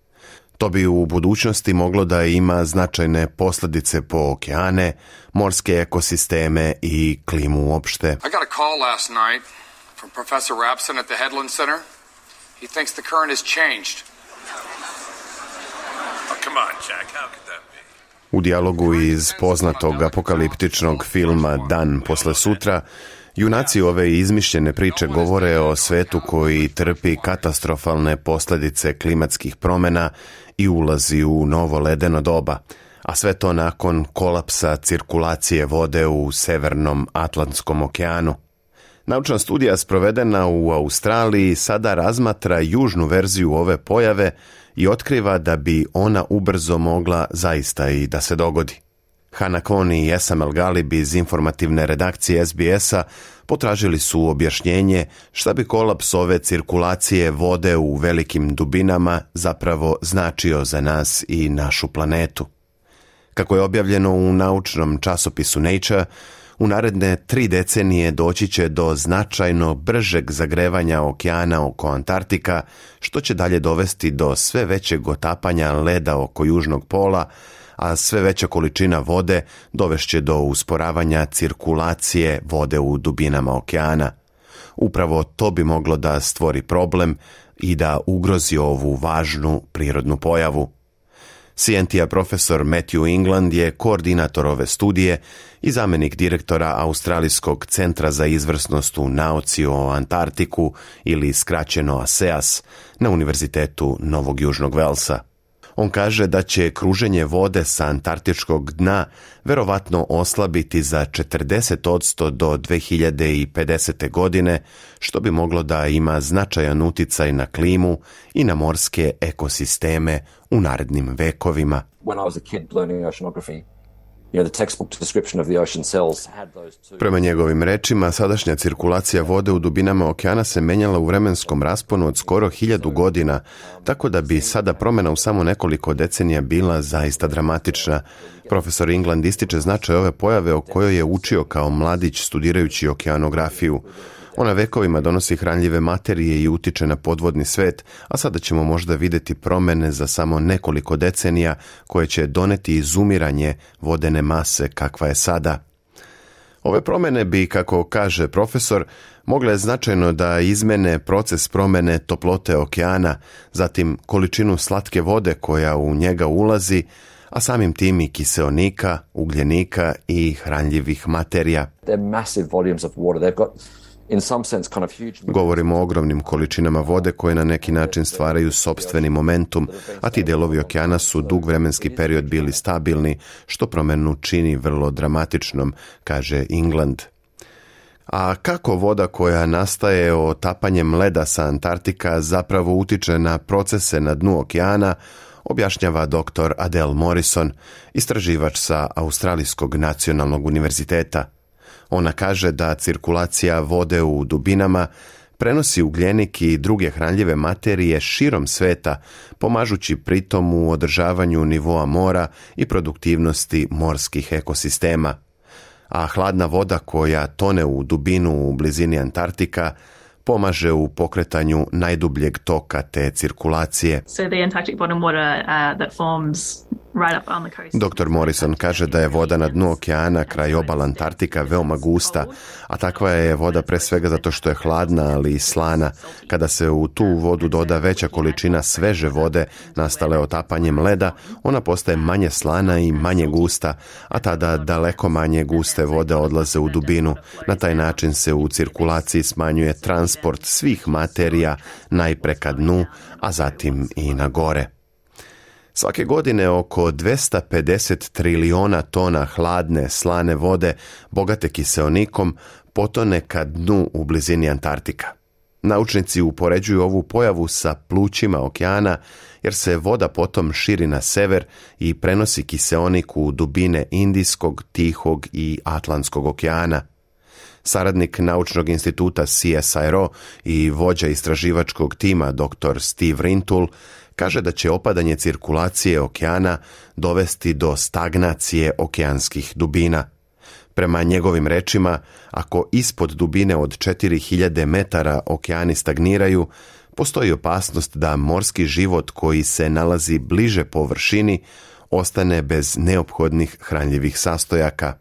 To bi u budućnosti moglo da ima značajne posljedice po okeane, morske ekosisteme i klimu uopšte. I got a call last night from Professor Rapson at the Headland Center. He thinks the current has changed. Oh, come on, Jack, how could that be? U dijalogu iz poznatog apokaliptičnog filma Dan posle sutra, junaci ove izmišljene priče govore o svetu koji trpi katastrofalne posljedice klimatskih promjena i ulazi u novo ledeno doba, a sve to nakon kolapsa cirkulacije vode u Severnom Atlantskom okeanu. Naučna studija sprovedena u Australiji sada razmatra južnu verziju ove pojave i otkriva da bi ona ubrzo mogla zaista i da se dogodi. Hana Koni i Esam El Galib iz informativne redakcije S B S-a potražili su objašnjenje šta bi kolaps ove cirkulacije vode u velikim dubinama zapravo značio za nas i našu planetu. Kako je objavljeno u naučnom časopisu Nature, u naredne tri decenije doći će do značajno bržeg zagrevanja okeana oko Antarktika, što će dalje dovesti do sve većeg otapanja leda oko južnog pola, a sve veća količina vode dovešće do usporavanja cirkulacije vode u dubinama okeana. Upravo to bi moglo da stvori problem i da ugrozi ovu važnu prirodnu pojavu. C N T-a profesor Matthew England je koordinator ove studije i zamjenik direktora Australijskog centra za izvrsnost u nauci o Antarktiku ili skraćeno A S E A S na Univerzitetu Novog Južnog Velsa. On kaže da će kruženje vode sa antarktičkog dna verovatno oslabiti za četrdeset posto do dve hiljade pedesete. godine, što bi moglo da ima značajan uticaj na klimu i na morske ekosisteme u narednim vekovima. Prema njegovim rečima, sadašnja cirkulacija vode u dubinama okeana se menjala u vremenskom rasponu od skoro hiljadu godina, tako da bi sada promjena u samo nekoliko decenija bila zaista dramatična. Profesor England ističe značaj ove pojave o kojoj je učio kao mladić studirajući okeanografiju. Ona vekovima donosi hranljive materije i utiče na podvodni svet, a sada ćemo možda vidjeti promjene za samo nekoliko decenija koje će doneti izumiranje vodene mase kakva je sada. Ove promjene bi, kako kaže profesor, mogle značajno da izmene proces promjene toplote okeana, zatim količinu slatke vode koja u njega ulazi, a samim tim i kiseonika, ugljenika i hranljivih materija. Govorimo o ogromnim količinama vode koje na neki način stvaraju sopstveni momentum, a ti delovi okeana su dug vremenski period bili stabilni, što promjenu čini vrlo dramatičnom, kaže England. A kako voda koja nastaje otapanjem leda sa Antarktika zapravo utiče na procese na dnu okeana, objašnjava doktor Adele Morrison, istraživač sa Australijskog nacionalnog univerziteta. Ona kaže da cirkulacija vode u dubinama prenosi ugljenik i druge hranljive materije širom sveta, pomažući pritom u održavanju nivoa mora i produktivnosti morskih ekosistema. A hladna voda koja tone u dubinu u blizini Antarktika pomaže u pokretanju najdubljeg toka te cirkulacije. So the Antarctic bottom water uh, that forms right up on the coast. doktor Morrison kaže da je voda na dnu okeana kraj obala Antarktika veoma gusta, a takva je voda pre svega zato što je hladna, ali i slana. Kada se u tu vodu doda veća količina sveže vode nastale otapanjem leda, ona postaje manje slana i manje gusta, a tada daleko manje guste vode odlaze u dubinu. Na taj način se u cirkulaciji smanjuje transport svih materija najpre ka dnu, a zatim i na gore. Svake godine oko dvesta pedeset triliona tona hladne, slane vode, bogate kiseonikom, potone ka dnu u blizini Antarktika. Naučnici upoređuju ovu pojavu sa plućima okeana, jer se voda potom širi na sever i prenosi kiseonik u dubine Indijskog, Tihog i Atlantskog okeana. Saradnik Naučnog instituta C S I R O i vođa istraživačkog tima doktor Steve Rintoul kaže da će opadanje cirkulacije okeana dovesti do stagnacije okeanskih dubina. Prema njegovim rečima, ako ispod dubine od četiri hiljade metara okeani stagniraju, postoji opasnost da morski život koji se nalazi bliže površini ostane bez neophodnih hranljivih sastojaka.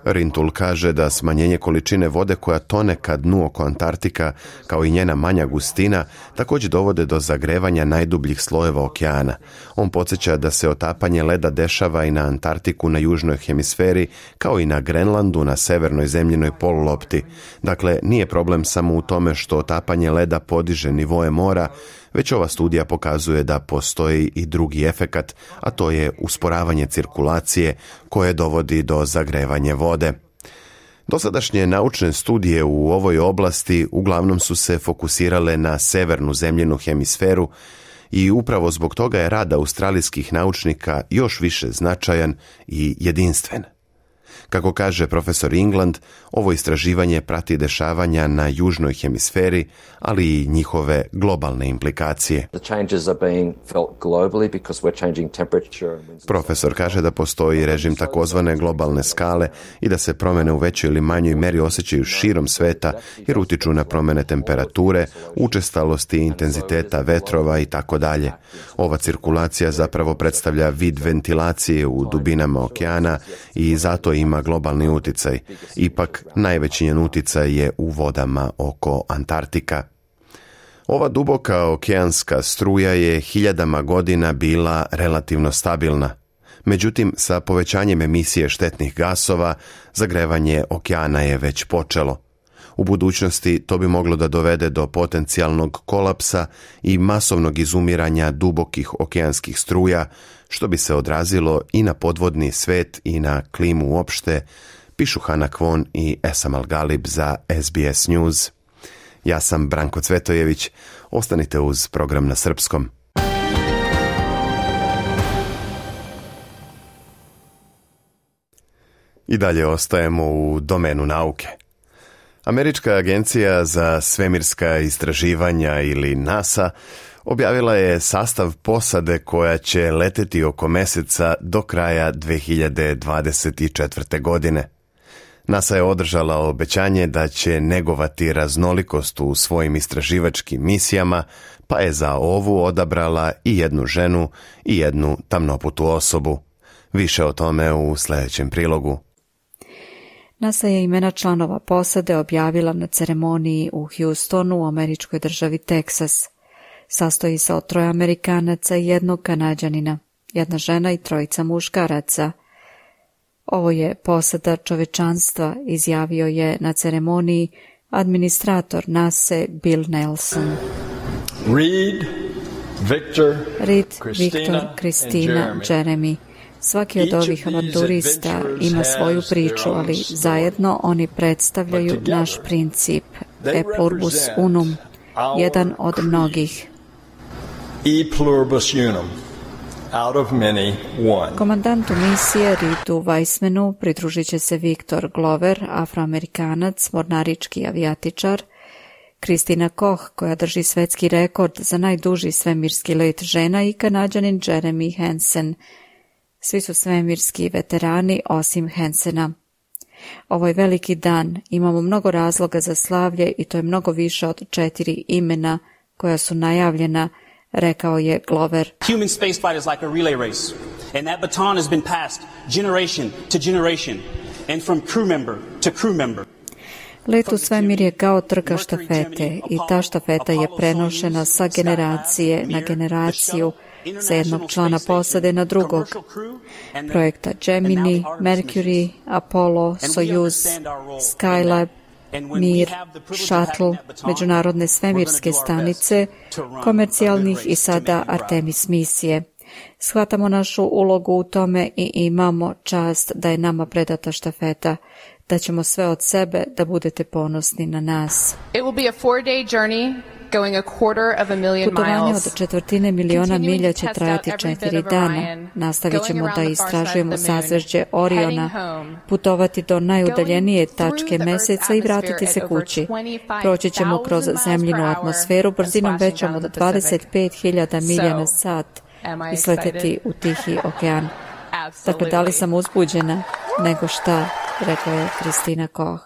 Rintoul kaže da smanjenje količine vode koja tone ka dnu oko Antarktika, kao i njena manja gustina, također dovode do zagrevanja najdubljih slojeva okeana. On podsjeća da se otapanje leda dešava i na Antarktiku na južnoj hemisferi, kao i na Grenlandu na severnoj zemljinoj polulopti. Dakle, nije problem samo u tome što otapanje leda podiže nivoe mora, već ova studija pokazuje da postoji i drugi efekat, a to je usporavanje cirkulacije koje dovodi do zagrevanja vode. Dosadašnje naučne studije u ovoj oblasti uglavnom su se fokusirale na severnu zemljinu hemisferu i upravo zbog toga je rad australijskih naučnika još više značajan i jedinstven. Kako kaže profesor England, ovo istraživanje prati dešavanja na južnoj hemisferi, ali i njihove globalne implikacije. Profesor kaže da postoji režim takozvane globalne skale i da se promjene u većoj ili manjoj meri osjećaju širom sveta jer utiču na promjene temperature, učestalosti i intenziteta vetrova i tako dalje. Ova cirkulacija zapravo predstavlja vid ventilacije u dubinama okeana i zato ima globalni uticaj. Ipak, najveći njen uticaj je u vodama oko Antarktika. Ova duboka okeanska struja je hiljadama godina bila relativno stabilna. Međutim, sa povećanjem emisije štetnih gasova, zagrevanje okeana je već počelo. U budućnosti to bi moglo da dovede do potencijalnog kolapsa i masovnog izumiranja dubokih okeanskih struja, što bi se odrazilo i na podvodni svet i na klimu uopšte, pišu Hana Kvon i Esam Al-Galib za S B S News. Ja sam Branko Cvetojević, ostanite uz program na srpskom. I dalje ostajemo u domenu nauke. Američka agencija za svemirska istraživanja ili NASA objavila je sastav posade koja će leteti oko meseca do kraja dve hiljade dvadeset četvrte. godine. NASA je održala obećanje da će negovati raznolikost u svojim istraživačkim misijama, pa je za ovu odabrala i jednu ženu i jednu tamnoputu osobu. Više o tome u sljedećem prilogu. NASA je imena članova posade objavila na ceremoniji u Houstonu u američkoj državi Teksas. Sastoji se od troje Amerikanaca i jednog Kanađanina, jedna žena i trojica muškaraca. Ovo je posada čovečanstva, izjavio je na ceremoniji administrator NASA Bill Nelson. Reed, Victor, Reed, Christina, Victor, Kristina, Jeremy. Svaki od ovih avanturista ima svoju priču, ali zajedno oni predstavljaju naš princip, e pluribus unum, jedan od mnogih. E pluribus unum, out of many, one. Komandantu misije Reedu Weissmanu pridružit će se Viktor Glover, afroamerikanac, mornarički avijatičar, Kristina Koch, koja drži svetski rekord za najduži svemirski let žena, i Kanađanin Jeremy Hansen. Svi su svemirski veterani osim Hansena. Ovo je veliki dan, imamo mnogo razloga za slavlje i to je mnogo više od četiri imena koja su najavljena, rekao je Glover. Human spaceflight is like a relay race, and that baton has been passed generation to generation, and from crew member to crew member. Let u svemir je kao trka štafete i ta štafeta je prenošena sa generacije na generaciju, sa jednog člana posade na drugog. Projekta Gemini, Mercury, Apollo, Soyuz, Skylab, Mir, Shuttle, međunarodne svemirske stanice, komercijalnih i sada Artemis misije. Shvatamo našu ulogu u tome i imamo čast da je nama predata štafeta, da ćemo sve od sebe da budete ponosni na nas. It will be a four-day journey. Putovanje od četvrtine miliona milja će trajati četiri dana. Nastavit ćemo da istražujemo sazvežđe Oriona, putovati do najudaljenije tačke meseca i vratiti se kući. Proći ćemo kroz zemljinu atmosferu brzinom većom od dvadeset pet hiljada milja na sat i sleteti u Tihi okean. Dakle, da li sam uzbuđena? Nego šta, rekla je Kristina Koch.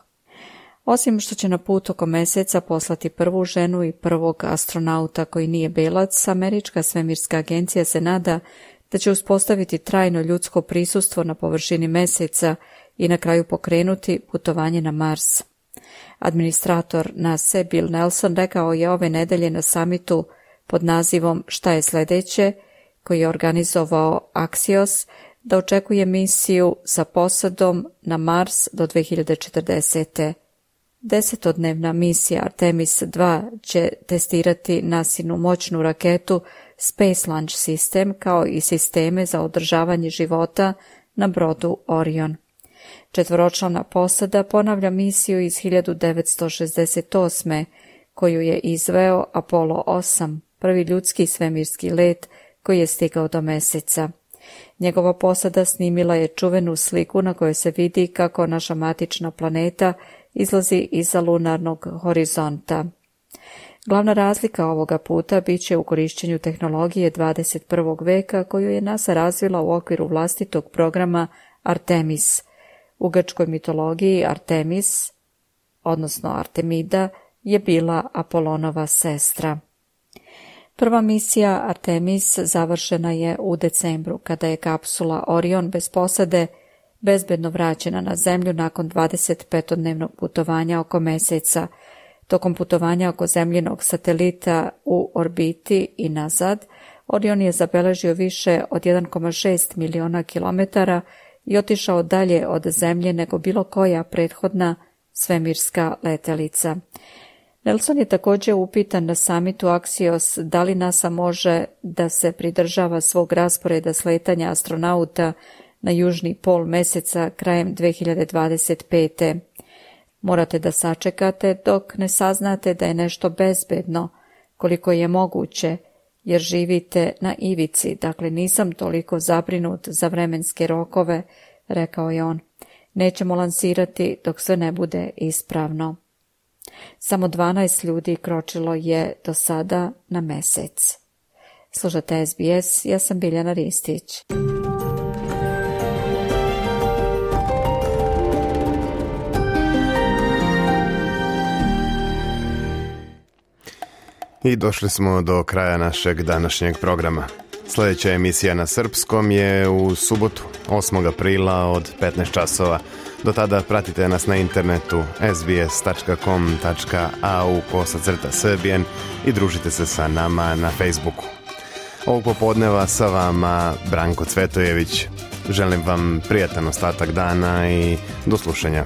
Osim što će na put oko meseca poslati prvu ženu i prvog astronauta koji nije belac, Američka svemirska agencija se nada da će uspostaviti trajno ljudsko prisustvo na površini meseca i na kraju pokrenuti putovanje na Mars. Administrator NASA Bill Nelson rekao je ove nedelje na samitu pod nazivom Šta je sljedeće, koji je organizovao Axios, da očekuje misiju sa posadom na Mars do dve hiljade četrdesete. Desetodnevna misija Artemis dva će testirati nasinu moćnu raketu Space Launch System kao i sisteme za održavanje života na brodu Orion. Četvoročlana posada ponavlja misiju iz hiljadu devetsto šezdeset osme koju je izveo Apollo osam, prvi ljudski svemirski let koji je stigao do meseca. Njegova posada snimila je čuvenu sliku na kojoj se vidi kako naša matična planeta izlazi iza lunarnog horizonta. Glavna razlika ovoga puta bit će u korišćenju tehnologije dvadeset prvog veka koju je NASA razvila u okviru vlastitog programa Artemis. U grčkoj mitologiji Artemis, odnosno Artemida, je bila Apolonova sestra. Prva misija Artemis završena je u decembru, kada je kapsula Orion bez posade bezbedno vraćena na Zemlju nakon dvadesetpetodnevnog putovanja oko meseca. Tokom putovanja oko zemljinog satelita u orbiti i nazad, Orion je zabeležio više od jedan zarez šest miliona kilometara i otišao dalje od Zemlje nego bilo koja prethodna svemirska letelica. Nelson je također upitan na samitu Axios da li NASA može da se pridržava svog rasporeda sletanja astronauta na južni pol meseca krajem dve hiljade dvadeset pete. Morate da sačekate dok ne saznate da je nešto bezbedno, koliko je moguće, jer živite na ivici, dakle nisam toliko zabrinut za vremenske rokove, rekao je on. Nećemo lansirati dok sve ne bude ispravno. Samo dvanaest ljudi kročilo je do sada na mesec. Slušate S B S, ja sam Biljana Ristić. I došli smo do kraja našeg današnjeg programa. Sljedeća emisija na srpskom je u subotu, osmog aprila od petnaest časova. Do tada pratite nas na internetu s b s tačka com tačka a u kosacrta srbijen i družite se sa nama na Facebooku. Ovog popodneva sa vama Branko Cvetojević. Želim vam prijatan ostatak dana i do slušanja.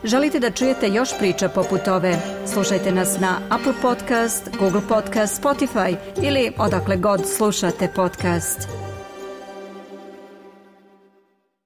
Želite da čujete još priča poput ove? Slušajte nas na Apple Podcast, Google Podcast, Spotify ili odakle god slušate podcast.